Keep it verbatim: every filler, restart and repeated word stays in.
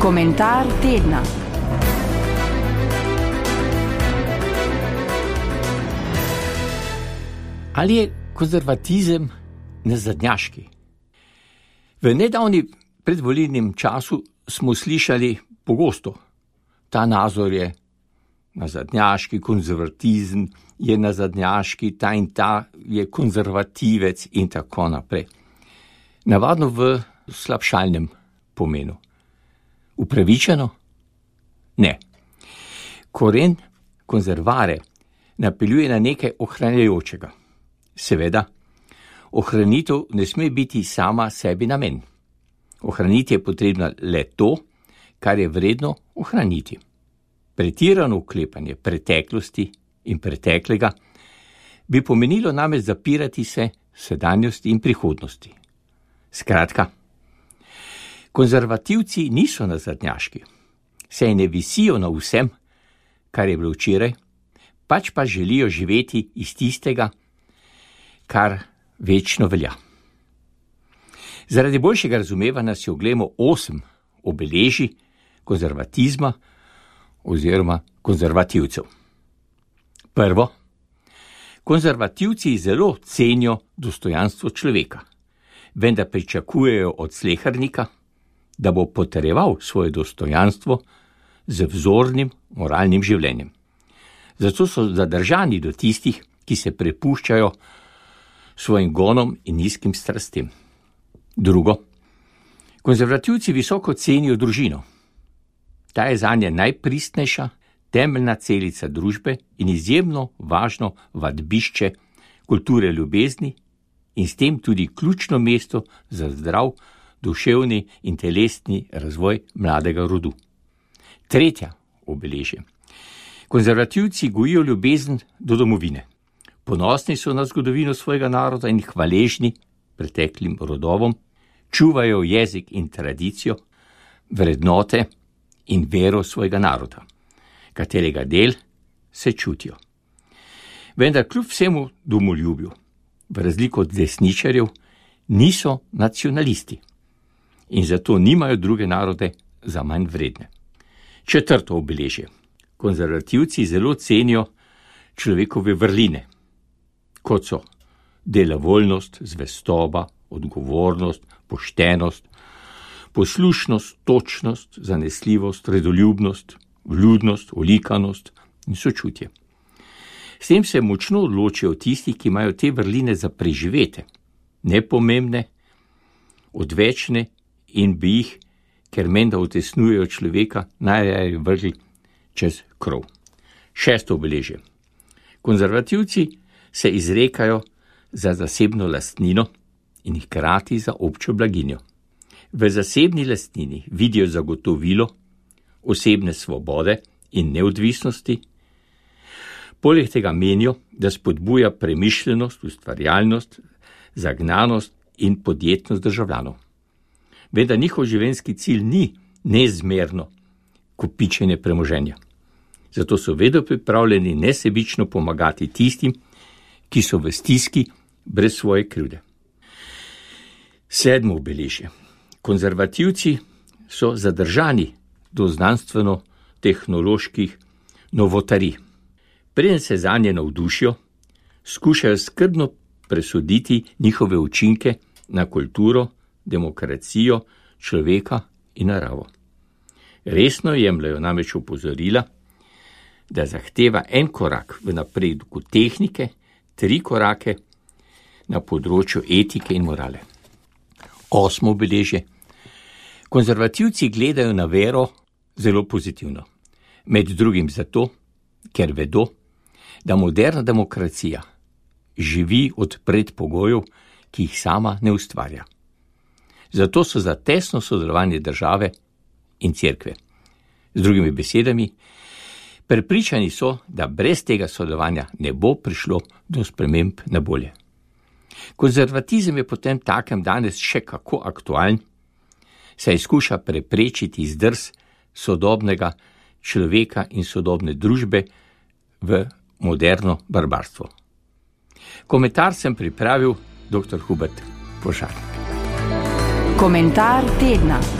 Komentar tedna. Ali je konzervatizem nazadnjaški? V nedavni predvolilnem času smo slišali pogosto, ta nazor je nazadnjaški, konzervatizem je nazadnjaški, ta in ta je konzervativec in tako naprej. Navadno v slabšalnem pomenu. Upravičeno? Ne. Koren konzervare napeljuje na nekaj ohranjajočega. Seveda, ohranitev ne sme biti sama sebi namen. Ohraniti je potrebno le to, kar je vredno ohraniti. Pretirano vklepanje preteklosti in preteklega bi pomenilo namreč zapirati se sedanjosti in prihodnosti. Skratka, konzervativci niso nazadnjaški, saj ne visijo na vsem, kar je bilo včeraj, pač pa želijo živeti iz tistega, kar večno velja. Zaradi boljšega razumevanja si oglejmo osem obeležij konzervatizma oziroma konzervativcev. Prvo, konzervativci zelo cenijo dostojanstvo človeka, vendar pričakujejo od slehernika, da bo potrjeval svoje dostojanstvo z vzornim moralnim življenjem. Zato so zadržani do tistih, ki se prepuščajo svojim gonom in nizkim strastem. Drugo, konzervativci visoko cenijo družino. Ta je zanje najpristnejša, temeljna celica družbe in izjemno važno vadbišče kulture ljubezni in s tem tudi ključno mesto za zdrav duševni in telesni razvoj mladega rodu. Tretja obeležje. Konzervativci gojijo ljubezen do domovine. Ponosni so na zgodovino svojega naroda in hvaležni preteklim rodovom, čuvajo jezik in tradicijo, vrednote in vero svojega naroda, katerega del se čutijo. Vendar kljub vsemu domoljubju, v razliko od desničarjev, niso nacionalisti in zato nimajo druge narode za manj vredne. Četrto obeležje. Konzervativci zelo cenijo človekove vrline, kot so delavoljnost, zvestoba, odgovornost, poštenost, poslušnost, točnost, zanesljivost, redoljubnost, vljudnost, olikanost in sočutje. S tem se močno odločijo tisti, ki imajo te vrline za preživete, nepomembne, odvečne in bi jih, ker menda utesnujejo človeka, najraje vrgli čez krov. Šesto obeležje. Konzervativci se izrekajo za zasebno lastnino in hkrati za občo blaginjo. V zasebni lastnini vidijo zagotovilo osebne svobode in neodvisnosti. Poleg tega menijo, da spodbuja premišljenost, ustvarjalnost, zagnanost in podjetnost državljanov. Vendar njihov življenjski cilj ni neizmerno kopičenje premoženja. Zato so vedno pripravljeni nesebično pomagati tistim, ki so v stiski brez svoje krivde. Sedmo obeležje. Konzervativci so zadržani do znanstveno-tehnoloških novotarij. Preden se zanje navdušijo, skušajo skrbno presoditi njihove učinke na kulturo, demokracijo, človeka in naravo. Resno jemljajo namreč opozorila, da zahteva en korak v napredku tehnike, tri korake na področju etike in morale. Osmo obeležje. Konzervativci gledajo na vero zelo pozitivno. Med drugim zato, ker vedo, da moderna demokracija živi od predpogojev, ki jih sama ne ustvarja. Zato so za tesno sodelovanje države in cerkve. Z drugimi besedami, prepričani so, da brez tega sodelovanja ne bo prišlo do sprememb na bolje. Konzervatizem je potem takem danes še kako aktualen, saj skuša preprečiti zdrs sodobnega človeka in sodobne družbe v moderno barbarstvo. Komentar sem pripravil dr. Hubert Požar. Komentar tedna.